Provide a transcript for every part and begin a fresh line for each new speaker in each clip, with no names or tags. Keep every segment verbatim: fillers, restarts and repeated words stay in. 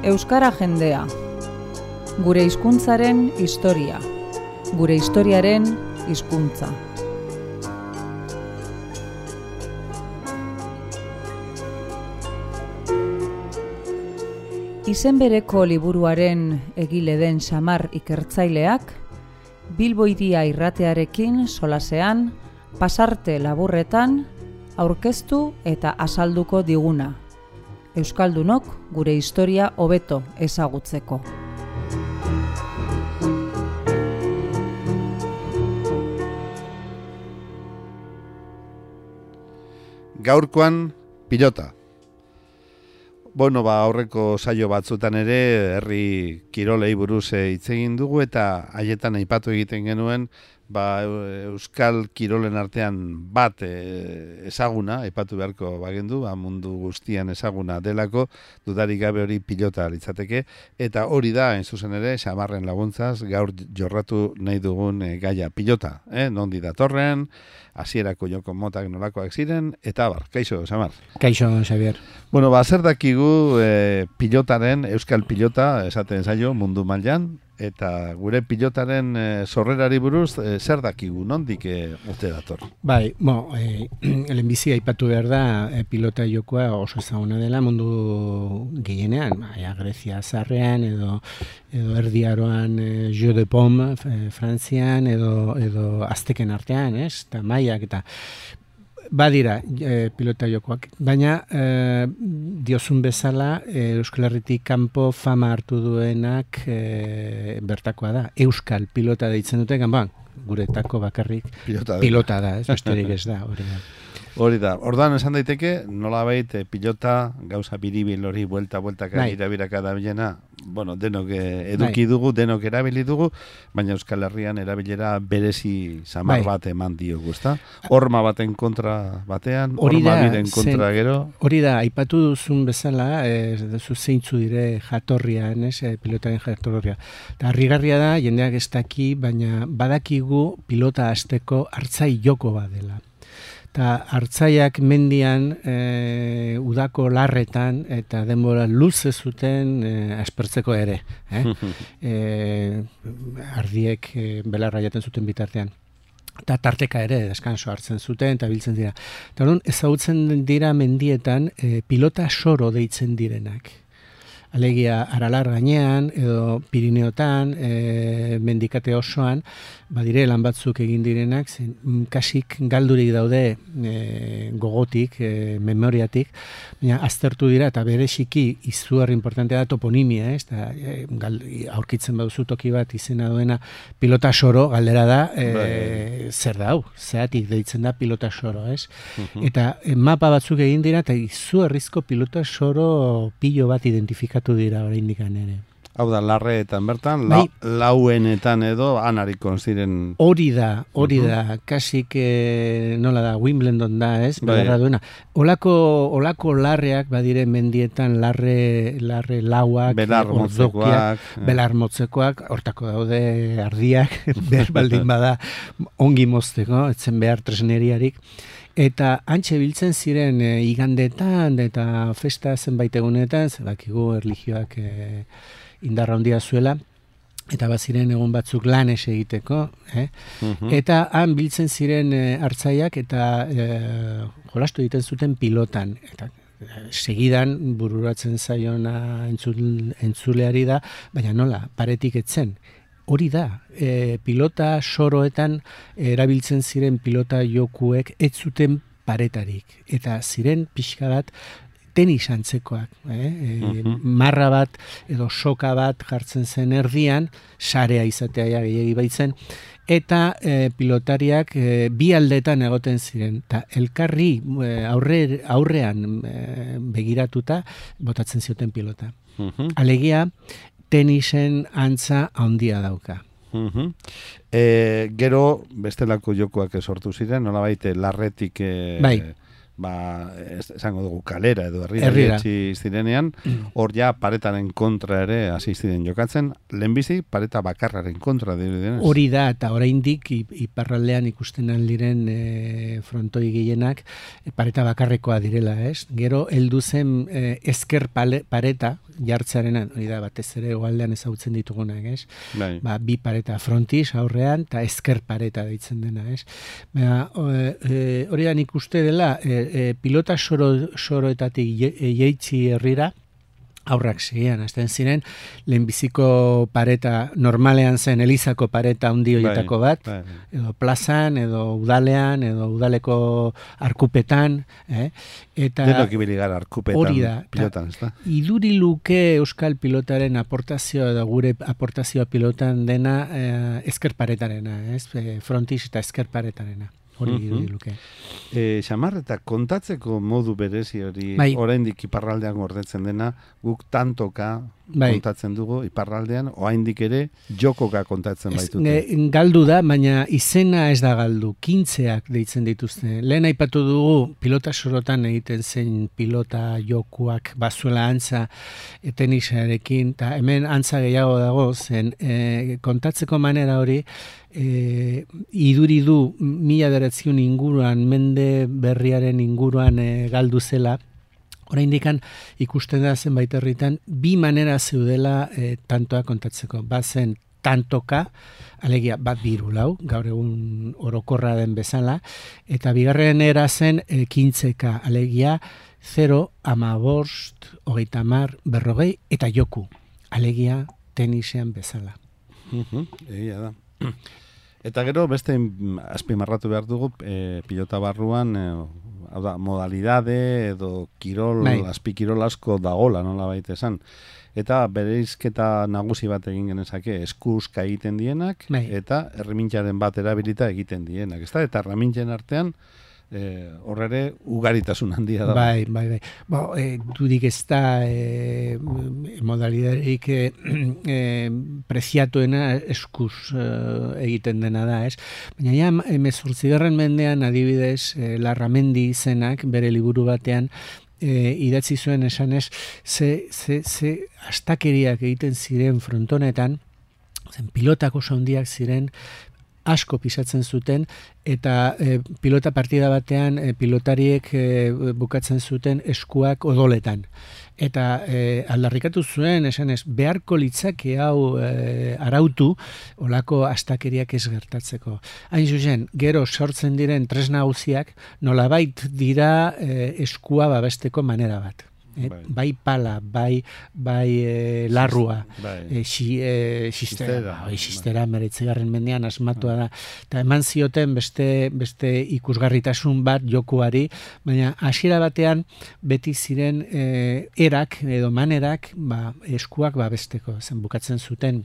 Euskara jendea. Gure hizkuntzaren historia. Gure historiaren hizkuntza. Izen bereko liburuaren egile den Xamar ikertzaileak, Bilbo Hiria irratearekin solasean, pasarte laburretan, aurkeztu eta azalduko diguna. Euskaldunok gure historia hobeto ezagutzeko.
Gaurkoan pilota. Bueno, ba, aurreko saio batzutan ere herri kirolei buruz hitz egin dugu eta haietan aipatu egiten genuen ba, euskal kirolen artean bat e, ezaguna, aipatu beharko bagendu, ba, mundu guztian ezaguna delako, dudarik gabe hori pilota litzateke, eta hori da, hain zuzen ere, Xamarren laguntzaz, gaur jorratu nahi dugun e, gaia pilota, eh? Nondi datorren, hasierako joko motak nolakoak ziren, eta abar, kaixo, Xamar.
Kaixo, Xavier.
Bueno, ba, zer dakigu e, pilotaren, euskal pilota, esaten zaio, mundu mailan, eta gure pilotaren e, sorrerari buruz, e, zer dakigu, nondik e, urte dator?
Bai, bo, e, lehenbizi aipatu behar da, e, pilota jokoa oso ezaguna dela mundu gehienean, bai, Grezia zarrean, edo, edo Erdi Aroan e, Jeu de Paume, e, Frantzian, edo, edo Azteken artean, ez? Eta maiak, eta badira e, pilota jokoak, baina e, diozun bezala e, Euskal Herritik kanpo fama hartu duenak e, bertakoa da. Euskal pilota deitzen dute, ganboan, guretako bakarrik pilota, pilota da, ez besterik ez da, hori da.
Hori da, ordan esan daiteke, nolabait e, pilota, gauza biribil hori, buelta-bueltaka irabiraka da bilena, bueno, denok eduki dugu, denok erabili dugu, baina Euskal Herrian erabilera berezi samar bai. bat eman diogu, ezta? Horma baten kontra batean, horma biren kontra zen, gero.
Hori da, aipatu duzun bezala, ez duzu zeintzu dire jatorrian, ez, pilotaren jatorria. Eta harrigarria da, jendeak ez daki, baina badakigu pilota hasteko hartzai joko bat dela. Eta hartzaiak mendian e, udako larretan eta denbora luze zuten e, aspertzeko ere. Eh? e, ardiek e, belarra jaten zuten bitartean. Eta tarteka ere deskanso hartzen zuten eta biltzen dira. Eta hori ezagutzen dira mendietan e, pilota soro deitzen direnak. Alegia Aralar gainean edo Pirineotan, e, mendikate osoan, badire lan batzuk egin direnak, zen, kasik galdurik daude e, gogotik, e, memoriatik, baina aztertu dira eta bereziki izugarri importantea da toponimia, ez? Ta, e, gal, aurkitzen baduzu toki bat izena duena pilota soro, galdera da, e, zer da hau, zeratik deitzen da pilota soro, ez? Uh-huh. Eta e, mapa batzuk egin dira eta izugarrizko pilota soro pilo bat identifikatu dira oraindik ere.
Hau da, larreetan bertan, bai, la, lauenetan edo anarikon ziren.
Hori da, hori uh-huh. da, kasik eh, nola da, Wimbledon da, ez? Bai. Belarra duena. Olako, olako larreak badire mendietan larre, larre lauak,
belar motzekoak,
belar motzekoak, hortako daude ardiak, behar baldin bada ongi mozteko, etzen behar tresneriarik. Eta antxe biltzen ziren e, igandetan eta festa zenbait egunetan, zebakigu erlijioak e, indarra handia zuela, eta baziren egun batzuk lanes egiteko, eh? Uh-huh. Eta han biltzen ziren e, hartzaiak eta e, jolastu egiten zuten pilotan. Eta e, segidan bururatzen zaiona entzul, entzuleari da, baina nola, paretik etzen. Hori da, e, pilota soroetan erabiltzen ziren pilota jokuek ez zuten paretarik. Eta ziren pixka bat tenis antzekoak. Eh? E, uh-huh. Marra bat edo soka bat jartzen zen erdian, sarea izatea ja gehiagi baitzen, eta e, pilotariak e, bi aldetan egoten ziren. Ta elkarri e, aurre, aurrean e, begiratuta botatzen zioten pilota. Uh-huh. Alegia, tenisen antza handia dauka.
Uh-huh. E, gero bestelako jokoak sortu ziren, nolabait larretik e,
bai.
ba, ez, esango dugu kalera edo herrira
Herrira.
etxi zirenean, hor ja paretaren kontra ere hasi ziren jokatzen, lehenbizi pareta bakarraren kontra direnez.
Hori da, eta oraindik i- iparraldean ikusten aldiren e, frontoi gehienak e, pareta bakarrekoa direla, ez? Gero heldu zen e, ezker pale, pareta jartzearenan, hori da, batez ere hegoaldean ezagutzen ditugunak, ez?
Bai.
Ba, bi pareta frontis aurrean eta ezker pareta deitzen dena, ez? Ba, o, e, hori da nik uste dela, e, e, pilota soro, soroetatik je- e, jeitzi herrira, aurrak segian, azten ziren, lehenbiziko pareta normalean zen Elizako pareta handi horietako bat,
Bai, bai.
edo plazan, edo udalean, edo udaleko arkupetan, eh? Eta
Denok ibili gara arkupetan,
hori da, eta-
pilotan, ez da?
iduri luke euskal pilotaren aportazioa edo gure aportazioa pilotan dena eh, ezker paretarena, ez? Eh, frontis eta ezker paretarena. Hori
Mhm.
iduri luke.
E, xamar eta kontatzeko modu berezi hori
Bai.
oraindik iparraldean gordetzen dena, guk tantoka
Bai.
kontatzen dugu iparraldean, oraindik ere jokoka kontatzen
Ez,
baitute.
ne- galdu da, baina izena ez da galdu, kintzeak deitzen dituzte. Lehen aipatu dugu pilota sorotan egiten zen pilota jokuak bazuela antza e, tenisarekin, eta hemen antza gehiago dago, zen e, kontatzeko manera hori, e, iduri du mila bederatziehun inguruan, mende berriaren inguruan e, galdu zela, oraindikan ikusten da zenbait herritan bi manera zeudela e, tantoa kontatzeko. Bazen tantoka, alegia bat biru lau, gaur egun orokorra den bezala, eta bigarren era zen e, kintzeka, alegia zero, amabost, hogeita hamar, berrogei, eta joku, alegia tenisean bezala.
Mhm, egia da. Eta gero beste mm, azpimarratu behar dugu e, pilota barruan e, hau da, modalidade edo kirol,
Bai.
azpikirol asko dagola, nola baita esan. Eta bereizketa nagusi bat egin genezake, eskuska egiten dienak,
Bai.
eta erremintzaren bat erabilita egiten dienak. Ezta? Eta erremintzen artean, e, horrere ugaritasun handia da.
Bai, bai, bai. Bo, e, dudik ez da e, modalidarik e, e, preziatuena eskuz e, egiten dena da, ez? Baina ja, emezortzigarren mendean adibidez, e, Larramendi izenak bere liburu batean e, idatzi zuen esanez, ze, ze, ze astakeriak egiten ziren frontonetan, zen pilotak oso handiak ziren, asko pisatzen zuten, eta e, pilota partida batean e, pilotariek e, bukatzen zuten eskuak odoletan. Eta e, aldarrikatu zuen, esanez, beharko litzake hau e, arautu, olako astakeriak ez gertatzeko. Hain zuzen, gero sortzen diren tresna nagusiak, nolabait dira e, eskua babesteko manera bat. Eh,
Bai.
bai pala, bai, bai e, larrua,
Bai.
e, xi, e, xistera,
Xistera,
bai,
bai.
xistera meretzigarren mendean asmatua da. Eta eman zioten beste, beste ikusgarritasun bat jokuari, baina hasiera batean beti ziren e, erak edo manerak ba, eskuak babesteko, zen bukatzen zuten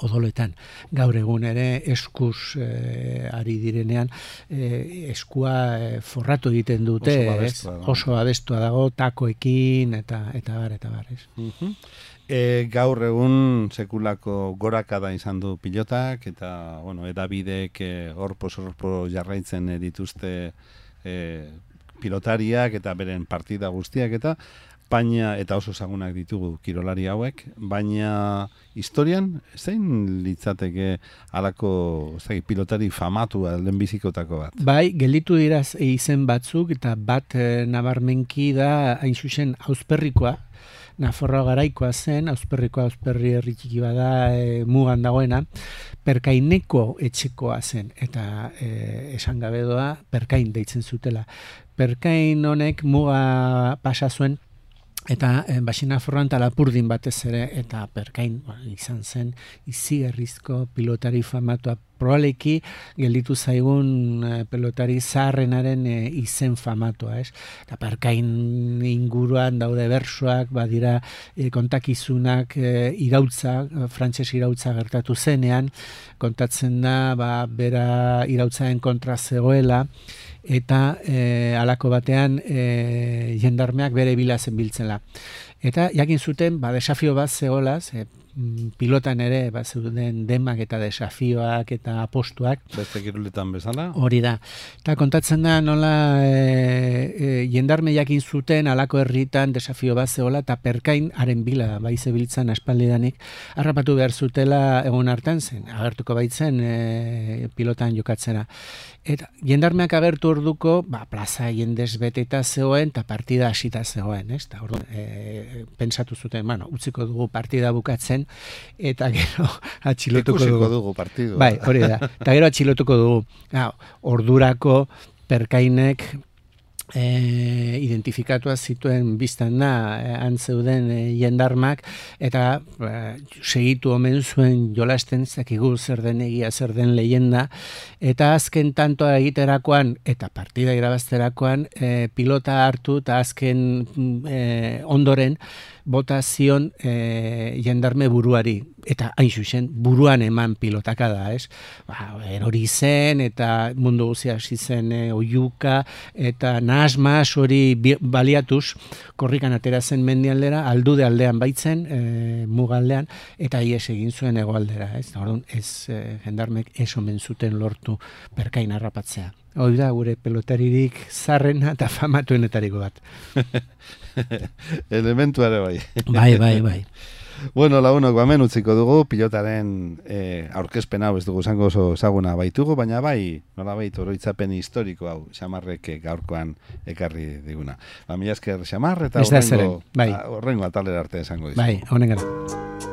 odoletan. Gaur egun ere eskuz e, ari direnean e, eskua e, forratu egiten dute,
Oso
ez?
babestua dago.
Oso abestua dago, takoekin eta eta bar, eta bar, ez?
Mhm. E, gaur egun sekulako gorakada izan du pilotak, eta bueno, edabidek e, orpo-sorpo jarraitzen e, dituzte e, pilotariak eta beren partida guztiak, eta baina, eta oso ezagunak ditugu kirolari hauek, baina historian zein litzateke halako ez dakit, pilotari famatua lehenbizikotako bat?
Bai, gelditu dira izen batzuk, eta bat e, nabarmenki da, hain zuzen, Ausperrikoa, Nafarroa garaikoa zen, Ausperrikoa Ausperri herri txiki bada e, mugan dagoena, Perkaineko etxekoa zen, eta e, esan gabe doa, Perkain deitzen zutela. Perkain honek muga pasa zuen, eta e, Baxinaforroan eta Lapurdin batez ere, eta Perkain ba, izan zen izigarrizko pilotari famatua, probableiki gelditu zaigun e, pelotari zaharrenaren e, izen famatua, ez? Eta Perkain inguruan daude bersoak, badira e, kontakizunak e, irautza, e, frantses irautza gertatu zenean, kontatzen da, ba, bera irautzaren kontra zegoela, eta e, alako batean e, jendarmeak bere bila zenbiltzela. Eta jakin zuten, ba, desafio bat zegoela, ze, pilotan ere ba, zeuden demak eta desafioak eta apostuak,
Beste kiroletan bezala?
hori da. Eta kontatzen da nola e, e, e, jendarme jakin zuten alako herritan desafio bat zeola eta perkain haren bila bai zebiltzan aspaldidanik harrapatu behar zutela egun hartan zen, agertuko baitzen e, pilotan jokatzera. Eta jendarmeak agertu orduko, ba, plaza jendez beteta zegoen eta partida hasita zegoen, ez? Ta orduan, e, pentsatu zuten, bueno, utziko dugu partida bukatzen eta gero atxilotuko dugu.
dugu partidua.
Bai, hori da. Eta gero atxilotuko dugu. Ah, ordurako perkainek E, identifikatua zituen biztan da e, antzeuden e, jendarmak eta e, segitu omen zuen jolasten zakigu zer den egia zer den leyenda eta azken tantoa egiterakoan eta partida irabazterakoan e, pilota hartu eta azken e, ondoren bota zion e, jendarme buruari eta hain zuzen buruan eman pilotaka da, ez? Ba, erori zen eta mundu guzia hasi zen e, oiuka eta nahasmas hori baliatuz korrikan atera zen mendialdera, aldude aldean baitzen, e, mugaldean eta ies egin zuen hegoaldera, ez? Orduan ez e, jendarmek ez omen zuten lortu perkain harrapatzea. Hoi da gure pelotaririk zarrena eta famatuenetariko bat.
Elementuare bai.
Bai, bai, bai.
Bueno, lagunok, bamen utziko dugu, pilotaren e, aurkezpen hau ez dugu zango oso ezaguna baitugu, baina bai, nola baitu oroitzapen historiko hau, Xamarrek gaurkoan ekarri diguna. Ba, mila esker Xamar, eta horrengo,
bai.
horrengo atalera arte esango dizu.
Bai, honen gara.